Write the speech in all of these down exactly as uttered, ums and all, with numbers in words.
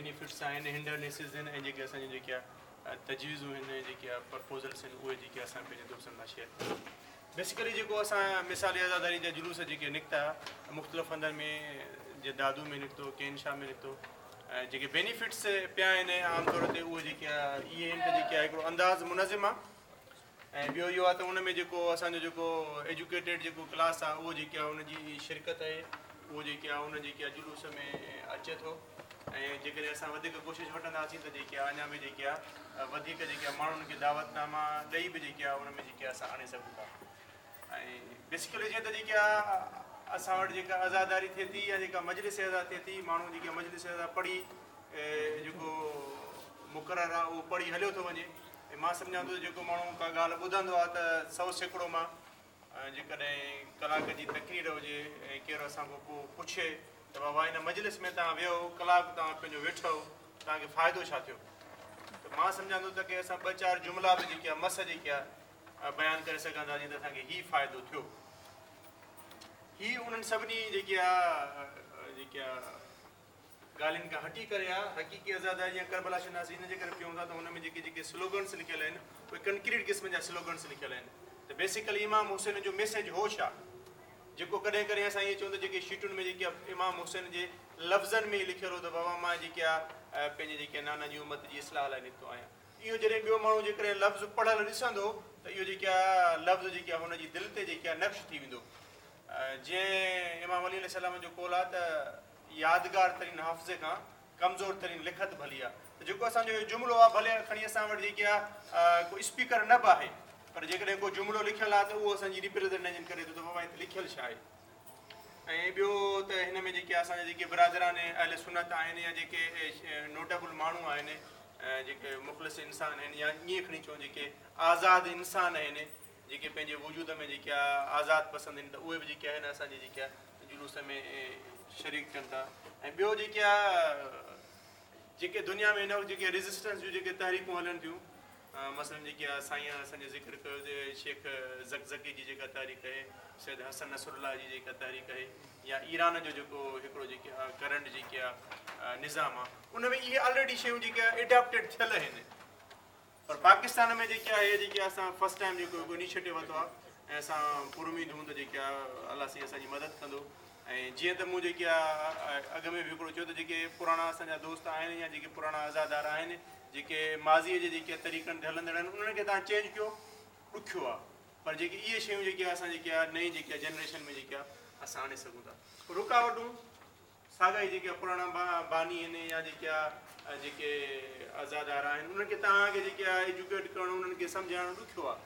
Benefits آهن، هنڊرنيسز آهن ۽ جيڪي اسان جون جيڪي تجويزون آهن، جيڪي پرپوزلس آهن، اهي جيڪي اسان پنهنجي دوستن سان شيئر ڪيون. بيسيڪلي جيڪو اسان مثالي عزاداري جا جلوس جيڪي نڪتا مختلف هنڌن ۾، جيئن دادو ۾ نڪتو، ڪين شاهه ۾ نڪتو، جيڪي بينيفٽس پيا آهن عام طور تي اهي جيڪي اهي آهن ته جيڪي هڪڙو انداز منظم آهي ۽ ٻيو اهو آهي ته ان ۾ جيڪو اسان جو جيڪو ايجوڪيٽيڊ جيڪو ڪلاس آهي اهو جيڪي آهي ان جي شرڪت آهي، اهو جيڪي آهي ان جيڪي آهي جلوس ۾ اچي ٿو ۽ جيڪڏهن اسان وڌيڪ ڪوشش وٺنداسين ته جيڪي آهي اڃا به جيڪي آهي وڌيڪ جيڪي آهي ماڻهن کي دعوت ناما ڏيئي به جيڪي آهي ان ۾ جيڪي اسان آڻي سگهون ٿا. ۽ بيسيڪلي جيئن ته جيڪي آهي اسان وٽ جيڪا عزاداري ٿئي ٿي يا جيڪا مجلس عزا ٿئي ٿي، ماڻهو جيڪي مجلس عزا پڙهي جيڪو مقرر آهي اهو پڙهي هليو ٿو وڃي. ۽ مان سمجهان ٿو جيڪو ماڻهو ڪا ڳالهه ٻڌندو آهي ته سؤ سيڪڙو مان جيڪڏهن ڪلاڪ جي تقرير هجي ۽ ڪير اسان کان پوءِ پڇي ته بابا هن مجلس ۾ توهان ويو ڪلاڪ توهان پنهنجو ويٺو توهان کي فائدو ڇا ٿيو، ته مان سمجهان ٿو ته ڪه اسان ٻه چار جملا به جيڪي آهي مس جيڪي آهي بيان ڪري سگهنداسين ته اسان کي هيءُ فائدو ٿيو. هيءُ انهن سڀني جيڪي آهي جيڪي آهي ڳالهين کان هٽي ڪري آهي حقيقي عزاداري يا ڪربلا شناسي ان جي ڪري پيون ٿا ته هن ۾ جيڪي جيڪي سلوگنس لکيل آهن اهي ڪنڪريٽ قسم جا سلوگنس لکيل آهن. ته بيسيڪلي امام حسين جو ميسيج هو ڇا، جيڪو ڪڏهن ڪڏهن اسان ائين چئون ته جيڪي شيٽن ۾ جيڪي امام حسين جي لفظن ۾ ئي لکيل هو ته بابا مان جيڪي آهي پنهنجي جيڪي نانا جي امت جي اصلاح لاءِ نڪتو آهيان. اهو جڏهن ٻيو ماڻهو جيڪڏهن لفظ پڙهيل ڏسندو ته اهو جيڪي آهي لفظ جيڪي آهي هن جي دل تي جيڪي آهي نقش ٿي ويندو. جيئن امام علي عليه السلام جو قول آهي ته يادگار ترين حافظي کان ڪمزور ترين لکت ڀلي آهي. ته جيڪو اسان جو اهو جملو آهي ڀلي کڻي اسان وٽ جيڪي آهي ڪو اسپيڪر نه به آهي پر جيڪڏهن ڪو جملو لکيل آهي ته اهو اسان جي ريپريزينٽيشن ڪري ٿو ته بابا هتي لکيل ڇا آهي. ۽ ٻيو ته هن ۾ جيڪي اسان جا جيڪي برادران اهل سنت آهن يا جيڪي نوٽيبل ماڻهو آهن، جيڪي مخلص انسان آهن يا ائين کڻي چئون جيڪي آزاد انسان آهن، جيڪي پنهنجي وجود ۾ جيڪي آزاد پسند آهن ته اهي به جيڪي آهن اسان جي جيڪي آهي جلوس ۾ شريڪ ٿين ٿا. ۽ ٻيو جيڪي آهي جيڪي دنيا ۾ هن وقت جيڪي ريزسٽنس جون جيڪي تحريڪون هلن ٿيون، مثلاً جيڪي آهي سائين اسان جو ذڪر ڪيو ته شيخ زڪزڪي جي جيڪا تحريڪ آهي، سيد حسن نصرالله جي جيڪا تحريڪ آهي يا ايران جو جيڪو هڪڙو جيڪي آهي ڪرنٽ جيڪي آهي نظام آهي ان ۾ اهي آلريڊي شيون جيڪي آهي اڊاپٽيڊ ٿيل آهن. پر پاڪستان ۾ جيڪي آهي جيڪي اسان فرسٽ ٽائيم جيڪو هڪ انيشيٽو ورتو آهي ۽ اسان پر اميد هون ته جيڪي آهي الله سائين اسان جي مدد ڪندو. ۽ جيئن ته مون جيڪي آهي اڳ ۾ به هڪڙو چيو ته جيڪي پراڻا اسان جا دوست آهن يا جيڪي پراڻا عزادار آهن جيڪي ماضيءَ جي جيڪي طريقن تي هلندڙ آهن انهن کي توهان چينج ڪيو ڏکيو آهي، پر جيڪي اهي شيون جيڪي اسان جيڪي آهي نئين جيڪي آهي جنريشن ۾ جيڪي آهي اسان آڻي سگهون ٿا. رڪاوٽون ساڳا ئي جيڪي پراڻا باني آهن يا جيڪي آهي جيڪي عزادار آهن انهن کي توهان کي جيڪي آهي ايجوڪيٽ ڪرڻ انهن کي سمجهائڻ ڏکيو آهي.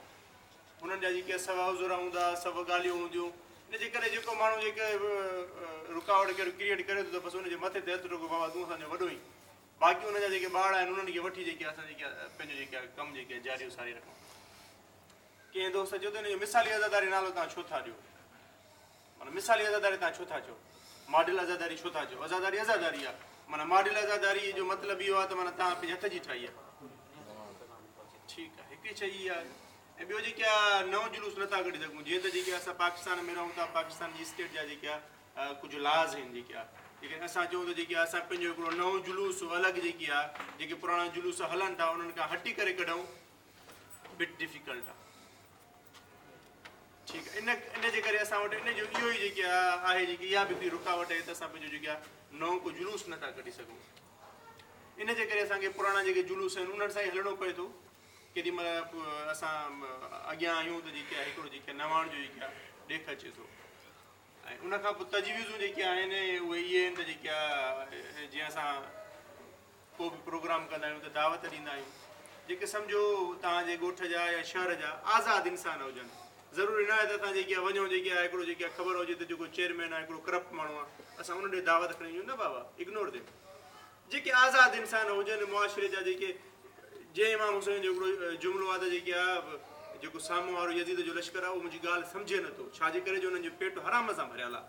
انهن جا جيڪي سوا عذر هوندا، سڀ ڳالهيون هونديون، ان جي ڪري جيڪو ماڻهو جيڪي رڪاوٽ ڪير ڪريئيٽ ڪري ٿو ته بس ان جي مٿي تي هٿ رکو بابا تون اسان جو وڏو ئي، باقي ان جا جيڪي ٻار آهن انهن کي وٺي جيڪي اسان جيڪي پنهنجو جيڪي ڪم جيڪي جاري ساري رکون. ڪنهن دوست چيو ته هن جو مثالي عزاداري نالو توهان ڇو ٿا ڏيو، معنيٰ مثالي عزاداري توهان ڇو ٿا چئو، ماڊل عزاداري ڇو ٿا چئو؟ عزاداري عزاداري آهي، معنيٰ ماڊل عزاداري جو مطلب اهو آهي ته معنيٰ توهان پنهنجي هٿ جي ٺاهي آهي، ٺيڪ آهي، هڪڙي شيءِ اها آهي. ۽ ٻيو جيڪي آهي نئون جلوس نٿا ڪڍي سگهون، جيئن ته جيڪي اسان پاڪستان ۾ رهون ٿا، پاڪستان جي اسٽيٽ جا جيڪي آهي ڪجهه لاز آهن جيڪي آهي، جيڪڏهن اسان چئون ته جيڪي اسان پنهنجو هڪڙو نئون جلوس الڳ جيڪي آهي جيڪي پراڻا جلوس هلن ٿا انهن کان هٽي ڪري ڪڍون بٽ ڊفيڪلٽ آهي، ٺيڪ آهي. ان ان جي ڪري اسان وٽ ان جو اهو ئي جيڪي آهي جيڪي اها به هڪڙي رڪاوٽ آهي ته اسان پنهنجو جيڪي آهي نئون ڪو جلوس نٿا ڪڍي سگهون. ان جي ڪري اسان کي پراڻا جيڪي جلوس آهن انهن سان ئي هلڻو پئي ٿو. ڪيڏي مهل اسان اڳيان آهيون ته جيڪي آهي هڪڙو جيڪي نواڻ جو جيڪي آهي ڏيک اچي ٿو. ۽ ان کان پوءِ تجويزون جيڪي آهن اهي اهي آهن ته جيڪي آهي جيئن اسان ڪو به پروگرام ڪندا آهيون ته دعوت ڏيندا آهيون، جيڪي سمجهو توهان جي ڳوٺ جا يا شهر جا آزاد انسان هجن، ضروري نه آهي ته اسان جيڪي آهي وڃون جيڪي آهي هڪڙو جيڪي آهي خبر هجي ته جيڪو چيئرمين آهي هڪڙو ڪرپٽ ماڻهو آهي اسان ان ڏي دعوت کڻي وڃون، نه بابا اگنور ديم. جيڪي آزاد انسان هجن معاشري جا، جيڪي جنهن امام حسين جو هڪڙو جملو آهي ته جيڪي آهي جيڪو سامهون وارو يزيد جو لشڪر آهي اهو منهنجي ڳالهه سمجهي نٿو، ڇا جي ڪري جو انهن جو پيٽ حرام سان ڀريل آهي.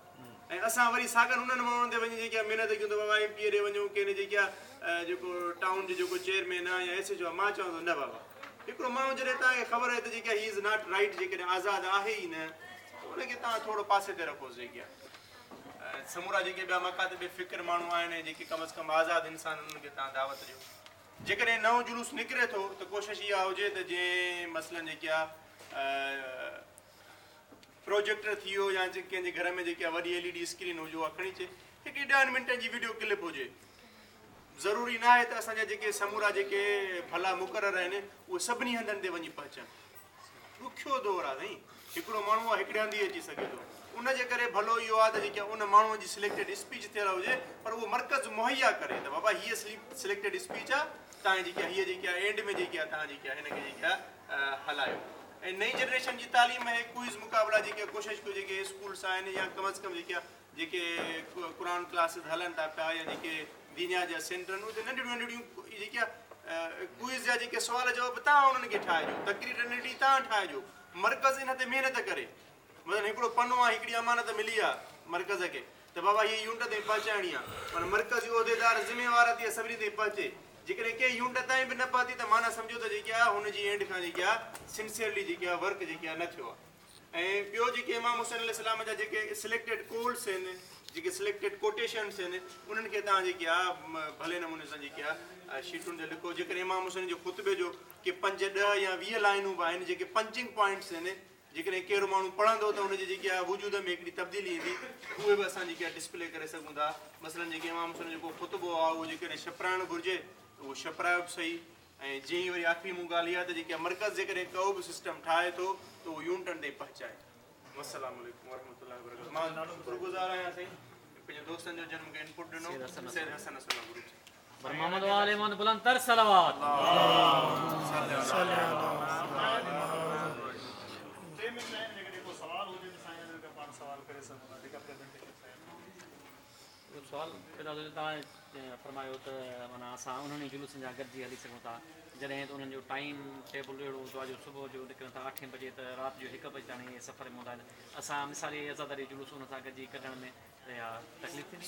۽ اسان وري ساڳن انهن ماڻهن تي وڃي جيڪي آهي محنت ڪيون ته بابا ايم پي اي ڏي وڃون، ڪنهن جيڪي آهي جيڪو ٽائون جو جيڪو چيئرمين آهي يا ايس ايڇ او آهي، مان چوان ٿو نه بابا هڪڙو ماڻهو جڏهن توهان کي خبر آهي ته جيڪي هي is not right, جيڪڏهن آزاد آهي ئي نه ته ان کي توهان ٿورو پاسي تي رکوس جيڪي آهي. समूरा जेके ॿिया मकातिब फ़िक्र माण्हू आहिनि जेके कम अज़ कम आज़ाद इंसान उन्हनि खे तव्हां दावत ॾियो। जेकॾहिं नओं जुलूस निकिरे थो त कोशिशि इहा हुजे त जंहिं मसलन जेके आहे प्रोजेक्टर थी वियो या कंहिंजे घर में जेके आहे वॾी एल ई डी स्क्रीन हुजे उहा खणी अचे, हिकिड़ी ॾहनि मिंटनि जी वीडियो क्लिप हुजे। ज़रूरी न आहे त असांजा जेके समूरा जेके भला मुक़ररु आहिनि उहे सभिनी हंधनि ते वञी पहुचनि। ॾुखियो दौरु आहे साईं, हिकिड़ो माण्हू आहे हिकिड़े हंधि अची सघे थो, उनजे करे भलो इहो आहे त जेके उन माण्हूअ जी सिलेक्टेड स्पीच थियल हुजे, पर उहो मर्कज़ मुहैया करे त बाबा हीअ सिलेक्टेड स्पीच आहे तव्हां जेकी हीअ जेकी आहे एंड में जेकी आहे तव्हां जेकी आहे हिन खे जेकी आहे हलायो। ऐं नई जनरेशन जी तालीम आहे क्विज़ मुक़ाबला जेके कोशिशि कयो जेके स्कूल्स आहिनि या कम अज़ कम जेके जेके क़ुर क्लासिस हलनि था पिया या जेके दीनिया जा सेंटर आहिनि उते नंढड़ियूं नंढड़ियूं जेके क्विज़ जा जेके सुवाल जवाब तव्हां उन्हनि खे ठाहिजो, तकरीर नंढड़ी तव्हां ठाहिजो, मर्कज़ इन ते महिनत करे। मतिलबु हिकिड़ो पनो आहे, हिकिड़ी अमानत मिली आहे मर्कज़ खे त बाबा हीअ यूनिट ताईं पहुचाइणी आहे, माना मर्कज़ जो उहिदेदार ज़िम्मेवार आहे सभिनी ताईं पहुचे। जेकॾहिं कंहिं यूनिट ताईं बि न पहुती त माना सम्झो त जेकी आहे हुनजी एंड खां जेकी आहे सिंसियरली जेकी आहे वर्क जेकी आहे न थियो आहे। ऐं ॿियो जेके इमाम हुसैन अलैहिस्सलाम जा जेके सिलेक्टेड कोल्स आहिनि, जेके सिलेक्टेड कोटेशन्स आहिनि, उन्हनि खे तव्हां जेकी आहे भले नमूने सां जेकी आहे शीटुनि ते लिखो। जेकॾहिं इमाम हुसैन जो ख़ुतबे जो के पंज ॾह या वीह लाइनूं बि आहिनि जेके पंचिंग पॉइंट्स आहिनि, जेकॾहिं कहिड़ो माण्हू पढ़ंदो त हुनजे जेकी आहे वजूद में हिकिड़ी तब्दीली ईंदी, उहे बि असां जेकी आहे डिस्प्ले करे सघूं था। मसलन जेके इमाम हुसैन जेको ख़ुतबो आहे उहो जेकॾहिं छपराइणु घुरिजे त उहो छपरायो बि सही। ऐं जीअं वरी आख़िरी मूं ॻाल्हि इहा त जेकी मर्कज़ जेकॾहिं को बि सिस्टम ठाहे थो त उहो यूनिटनि ताईं पहुचाए। अस्सलाम वालेकुम वरहमतुल्लाहि वबरकातुहू। मां शुक्रगुज़ार आहियां साईं पंहिंजे दोस्तनि जो जन मूंखे इनपुट ॾिनो, सैयद हसन असला ग्रुप। पर मोहम्मद वाले मोहम्मद बुलंद तर सलावत। टे मिनट आहिनि, जेकॾहिं को सवाल हुजे त साईं अञा पाण सवाल करे सघूं था, जेका प्रेज़ेंटेशन साईं। सवाल पैदा थियो, तव्हां फरमायो त माना असां उन्हनि जुलूसनि जा गॾिजी हली सघूं था, जॾहिं त उन्हनि जो टाइम टेबल अहिड़ो हूंदो आहे जो सुबुह जो निकिरनि था अठे बजे त राति जो हिकु बजे ताईं सफ़र में हूंदा आहिनि। असां मिसाली आज़ादारी जुलूस उन सां गॾिजी कढण में इहा तकलीफ़ थींदी?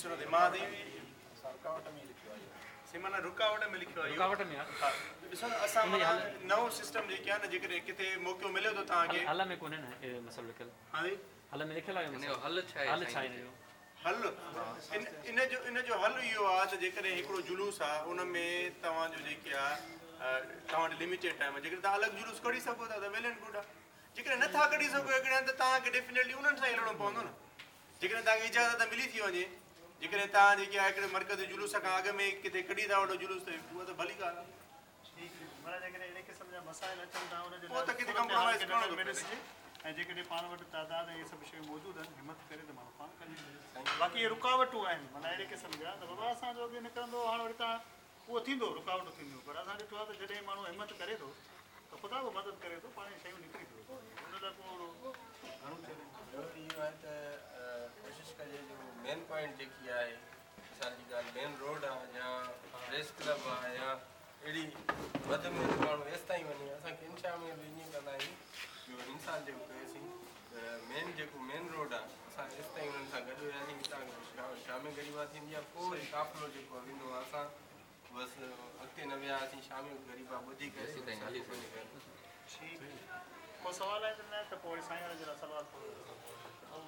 माना रुकावट में लिखियो आहे, रुकावट में आहे। ॾिसो न असां माना नओं सिस्टम जेके आहे न, जेकॾहिं किथे मौक़ो मिले थो तव्हांखे, हल में कोन्हे न इहो मसइलो लिखियलु। हा जी, हल में लिखियलु आहे, इन जो हल छा आहे? हल छा आहे इन जो हल? इन इन जो इन जो हल इहो आहे त जेकॾहिं हिकिड़ो जुलूस आहे उन में तव्हांजो जेके आहे तव्हां वटि लिमिटेड टाइम आहे, जेकॾहिं तव्हां अलॻि जुलूस कढी सघो था त वेल एंड गुड आहे, जेकॾहिं नथा कढी सघो हिकिड़े हंधि त तव्हांखे डेफिनेटली उन्हनि सां ई हलणो पवंदो न। जेकॾहिं तव्हांखे इजाज़त मिली थी वञे, जेकॾहिं तव्हां जेके आहे हिकिड़े मर्कज़ जुलूस खां अॻु में किथे कढी था वठो जुलूस त उहा त भली ॻाल्हि आहे। ठीकु, माना जेकॾहिं अहिड़े क़िस्म जा मसाइल अचनि था उनजे पोइ त किथे कॉम्प्रोमाइज़ करणो थो पए। ऐं जेकॾहिं पाण वटि तादाद ऐं इहे सभु शयूं मौजूदु आहिनि, हिमत करे त माण्हू पाण कढी वञे। बाक़ी इहे रुकावटूं आहिनि, माना अहिड़े क़िस्म जा त बाबा असांजो अॻु निकिरंदो, हाणे वरी तव्हां उहो थींदो, रुकावटूं थींदियूं, पर असां ॾिठो आहे त जॾहिं माण्हू हिमत करे थो त ख़ुदा बि मदद करे थो, पाण शयूं निकिरी थो, हुन लाइ को अहिड़ो घणो चैलेंज। इहो आहे त कोशिशि कजे जो मेन पॉइंट जेकी आहे, मिसाल जी ॻाल्हि मेन रोड आहे या प्रेस क्लब आहे या अहिड़ी वधि में वधि माण्हू एसि ताईं वञे। असांखे इंशा में बि ईअं कंदा आहियूं जो इंसान जेको कयोसीं त मेन जेको मेन रोड आहे असां एसि ताईं उन्हनि सां गॾु वियासीं, हितां शाम ग़रीबा थींदी आहे, पोइ वरी काफ़िलो जेको वेंदो आहे, असां बसि अॻिते न वियासीं, शाम ग़रीबा ॿुधी करे ठीकु। को सवाल आहे न त पोइ साईं जे लाइ सवाल।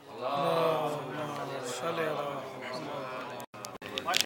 अल्लाहुम्मा सल्ली अला मुहम्मद।